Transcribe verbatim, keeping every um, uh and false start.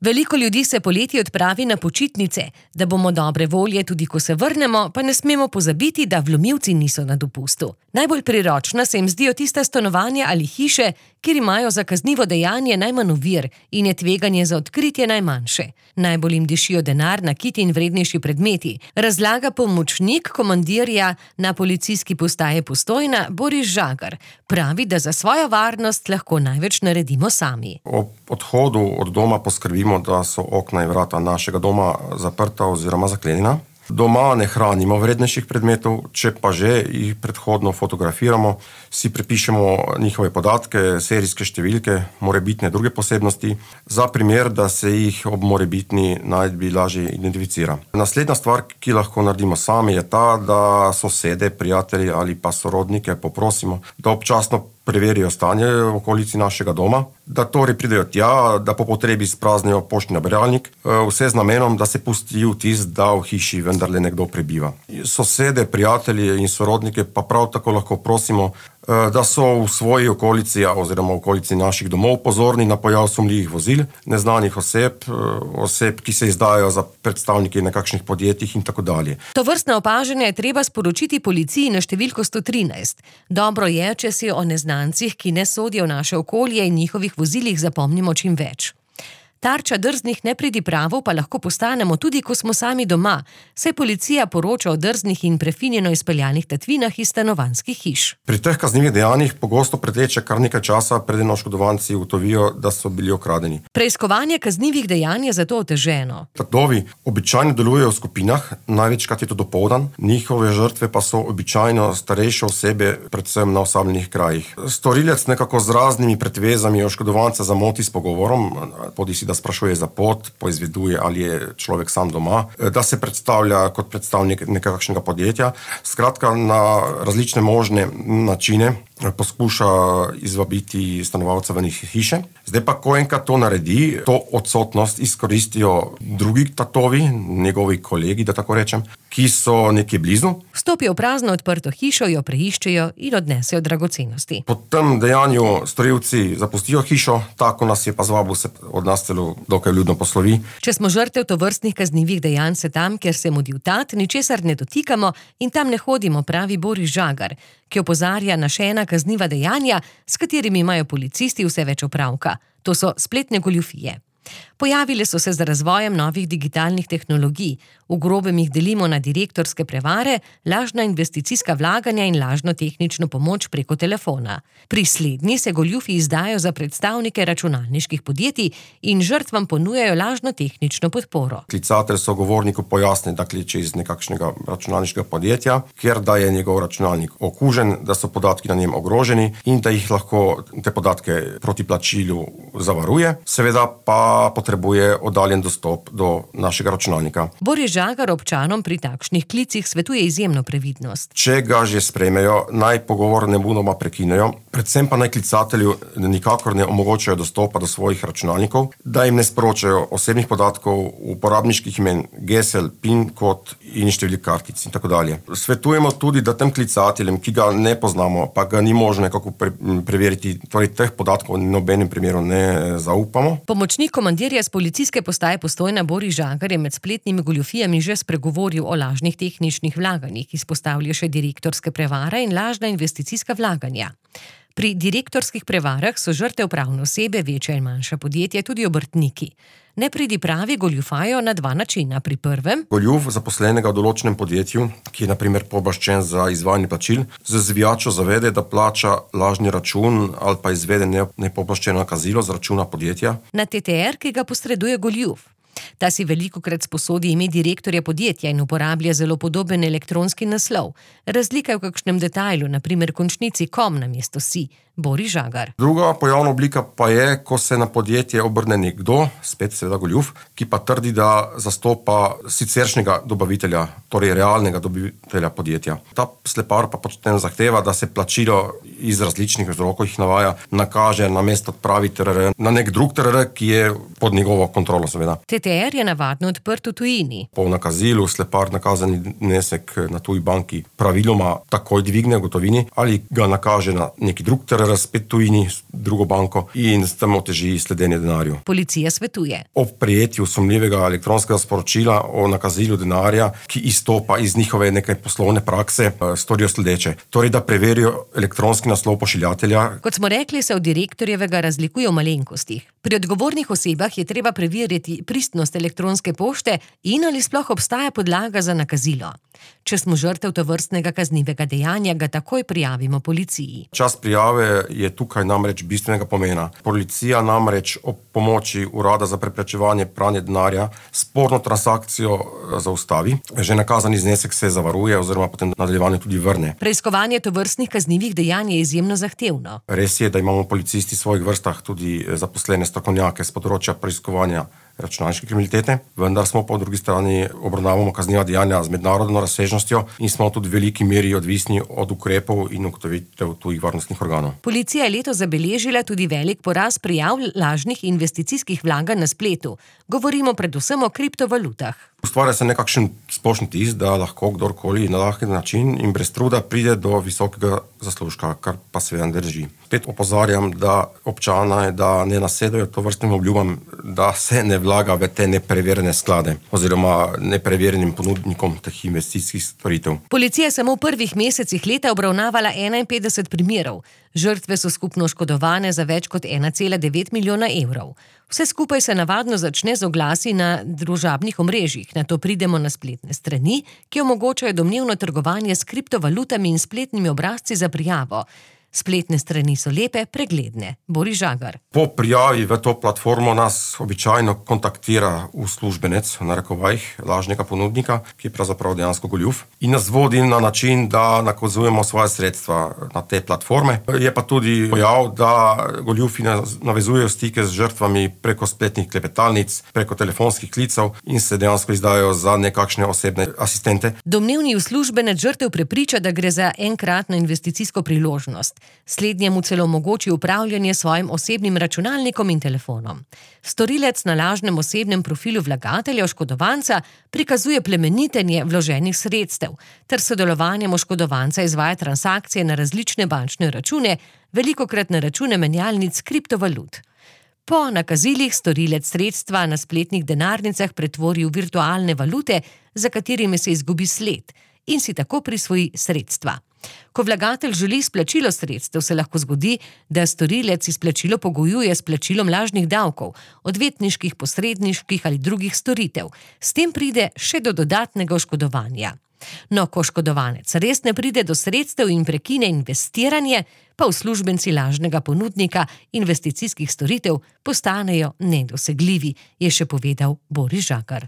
Veliko ljudi se poleti odpravi na počitnice. Da bomo dobre volje tudi ko se vrnemo, pa ne smemo pozabiti, da vlomilci niso na dopustu. Najbolj priročna se jim zdijo tista stanovanja ali hiše, kjer imajo za kaznivo dejanje najmanj ovir in je tveganje za odkritje najmanjše. Najbolj jim dišijo denar, nakit in vrednejši predmeti, razlaga pomočnik komandirja na policijski postaji Postojna Boris Žagar. Pravi, da za svojo varnost lahko največ naredimo sami. Ob odhodu od doma poskrbimo, da so okna in vrata našega doma zaprta oziroma zaklenjena. Doma ne hranimo vrednejših predmetov, če pa že jih predhodno fotografiramo, si prepišemo njihove podatke, serijske številke, morebitne druge posebnosti, za primer, da se jih ob morebitni najdbi lažje identificira. Naslednja stvar, ki lahko naredimo sami, je ta, da sosede, prijatelji ali pa sorodnike poprosimo, da občasno preverijo stanje v okolici našega doma, da torej pridejo tja, da po potrebi spraznijo poštni nabiralnik, vse z namenom, da se pusti vtis, da v hiši vendarle nekdo prebiva. Sosede, prijatelje in sorodnike pa prav tako lahko prosimo, da so v svoji okolici oziroma v okolici naših domov pozorni na pojav sumljivih vozil, neznanih oseb, oseb, ki se izdajajo za predstavniki nekakšnih podjetij in tako dalje. Tovrstna opažanja je treba sporočiti policiji na številko sto trinajst. Dobro je, če si o neznancih, ki ne sodijo v naše okolje in njihovih vozilih zapomnimo čim več. Tarča drznih nepridipravov pa lahko postanemo tudi, ko smo sami doma, saj policija poroča o drznih in prefinjeno izpeljanih tatvinah iz stanovanjskih hiš. Pri teh kaznivih dejanjih pogosto preteče kar nekaj časa, preden oškodovanci ugotovijo, da so bili okradeni. Preiskovanje kaznivih dejanj je zato oteženo. Tatovi običajno delujejo v skupinah, največkrat je to dopoldan, njihove žrtve pa so običajno starejše osebe, predvsem na osamljenih krajih. Storilec nekako z raznimi pretvezami oškodovanca zamoti s pogovorom, podisi da sprašuje za pot, poizveduje, ali je človek sam doma, da se predstavlja kot predstavnik nekakšnega podjetja. Skratka, na različne možne načine poskuša izvabiti stanovalca v njih hiše. Zdaj pa, ko enkrat to naredi, to odsotnost izkoristijo drugi tatovi, njegovi kolegi, da tako rečem, ki so nekje blizu. Vstopijo v prazno odprto hišo, jo preiščejo in odnesejo dragocenosti. Po tem dejanju storilci zapustijo hišo, tako nas je pa zvabil se od nas celo dokaj vljudno poslovi. Če smo žrtev tovrstnih kaznivih dejanj, se tam, kjer se mudi vtat, ničesar ne dotikamo in tam ne hodimo, pravi Boris Žagar, ki opozarja na še ena kazniva dejanja, s katerimi imajo policisti vse več opravka. To so spletne goljufije. Pojavile so se z razvojem novih digitalnih tehnologij. V grobem jih delimo na direktorske prevare, lažna investicijska vlaganja in lažno tehnično pomoč preko telefona. Pri slednji se goljufi izdajo za predstavnike računalniških podjetij in žrtvam ponujajo lažno tehnično podporo. Klicatelj sogovorniku pojasni, da kliče iz nekakšnega računalniškega podjetja, ker da je njegov računalnik okužen, da so podatki na njem ogroženi in da jih lahko te podatke proti plačilu zavaruje. Seveda pa potrebuje oddaljen dostop do našega računalnika. Boris Žagar občanom pri takšnih klicih svetuje izjemno previdnost. Če ga že sprejmejo, naj pogovor nemudoma prekinejo, predvsem pa naj klicatelju nikakor ne omogočajo dostopa do svojih računalnikov, da jim ne sporočajo osebnih podatkov, uporabniških imen, gesel, pin kod in številk kartic in tako dalje. Svetujemo tudi, da tem klicateljem, ki ga ne poznamo, pa ga ni možno nekako pre- preveriti, torej teh podatkov v nobenem primeru ne zaupamo. Pomočnik komandirja z policijske postaje Postojna Boris Žagar je med spletnimi goljufijami že spregovoril o lažnih tehničnih vlaganjih, izpostavlja še direktorske prevare in lažna investicijska vlaganja. Pri direktorskih prevarah so žrtev pravne osebe, večja in manjša podjetja, tudi obrtniki. Nepridipravi goljufajo na dva načina. Pri prvem Goljuf zaposlenega v določenem podjetju, ki je na primer pooblaščen za izvajanje plačil, z zvijačo zavede, da plača lažni račun ali pa izvede nepooblaščeno nakazilo z računa podjetja. Na T T R, ki ga posreduje goljuf. Ta si velikokrat sposodi ime direktorja podjetja in uporablja zelo podoben elektronski naslov. Razlika je v kakšnem detajlu, na primer končnici kom namesto si. Boris Žagar. Druga pojavna oblika pa je, ko se na podjetje obrne nekdo, spet seveda goljuf, ki pa trdi, da zastopa siceršnjega dobavitelja, torej realnega dobavitelja podjetja. Ta slepar pa potem zahteva, da se plačilo iz različnih vzrokov jih navaja, nakaže namesto odpravi T R R na nek drug T R R, ki je pod njegovo kontrolo seveda. T T transfer je navadno odprt v tujini. Po nakazilu slepar nakazani znesek na tuji banki praviloma takoj dvigne v gotovini ali ga nakaže na neki drug T R R spet tujini, drugo banko in s tem oteži sledenje denarju. Policija svetuje. Ob prijetju sumljivega elektronskega sporočila o nakazilu denarja, ki izstopa iz njihove neke poslovne prakse, storijo sledeče. Torej, da preverijo elektronski naslov pošiljatelja. Kot smo rekli, se od direktorjevega razlikuje v malenkostih. Pri odgovornih osebah je treba preveriti pristnost elektronske pošte in ali sploh obstaja podlaga za nakazilo. Če smo žrtev tovrstnega kaznivega dejanja, ga takoj prijavimo policiji. Čas prijave je tukaj namreč bistvenega pomena. Policija namreč ob pomoči Urada za preprečevanje pranja denarja sporno transakcijo zaustavi. Že nakazani znesek se zavaruje oziroma potem nadaljevanje tudi vrne. Preiskovanje tovrstnih kaznivih dejanj je izjemno zahtevno. Res je, da imamo policisti v svojih vrstah tudi zaposlene strokovnjake z področja preiskovanja računalniške kriminalitete, vendar smo po drugi strani obravnavamo kazniva dejanja z mednarodno razsežnostjo in smo tudi v veliki meri odvisni od ukrepov in ugotovitev tujih varnostnih organov. Policija je letos zabeležila tudi velik porast prijav lažnih investicijskih vlaganj na spletu. Govorimo predvsem o kriptovalutah. Ustvarja se nekakšen splošni vtis, da lahko kdorkoli na lahek način in brez truda pride do visokega zaslužka, kar pa seveda ne drži. Spet opozarjam, da občane, da ne nasedajo tovrstnim obljubam, da se ne vlaga v te nepreverjene sklade oziroma nepreverjenim ponudnikom teh investicijskih storitev. Policija je samo v prvih mesecih leta obravnavala enainpetdeset primerov. Žrtve so skupno oškodovane za več kot ena cela devet milijona evrov. Vse skupaj se navadno začne z oglasi na družabnih omrežjih, nato pridemo na spletne strani, ki omogočajo domnevno trgovanje s kriptovalutami in spletnimi obrazci za prijavo. Spletne strani so lepe, pregledne. Boris Žagar. Po prijavi v to platformo nas običajno kontaktira uslužbenec, v narekovajih, lažnega ponudnika, ki je pravzaprav dejansko goljuf, in nas vodi na način, da nakazujemo svoje sredstva na te platforme. Je pa tudi pojav, da goljufi navezujejo stike z žrtvami preko spletnih klepetalnic, preko telefonskih klicev in se dejansko izdajo za nekakšne osebne asistente. Domnevni uslužbenec žrtev prepriča, da gre za enkratno investicijsko priložnost. Slednjemu celo omogoči upravljanje s svojim osebnim računalnikom in telefonom. Storilec na lažnem osebnem profilu vlagatelja oškodovanca prikazuje plemenitenje vloženih sredstev ter sodelovanjem oškodovanca izvaja transakcije na različne bančne račune, velikokrat na račune menjalnic kriptovalut. Po nakazilih storilec sredstva na spletnih denarnicah pretvori v virtualne valute, za katerimi se izgubi sled in si tako prisvoji sredstva. Ko vlagatelj želi izplačilo sredstev, se lahko zgodi, da storilec izplačilo pogojuje s plačilom lažnih davkov, odvetniških, posredniških ali drugih storitev. S tem pride še do dodatnega oškodovanja. No, ko oškodovanec res ne pride do sredstev in prekine investiranje, pa uslužbenci lažnega ponudnika investicijskih storitev postanejo nedosegljivi, je še povedal Boris Žagar.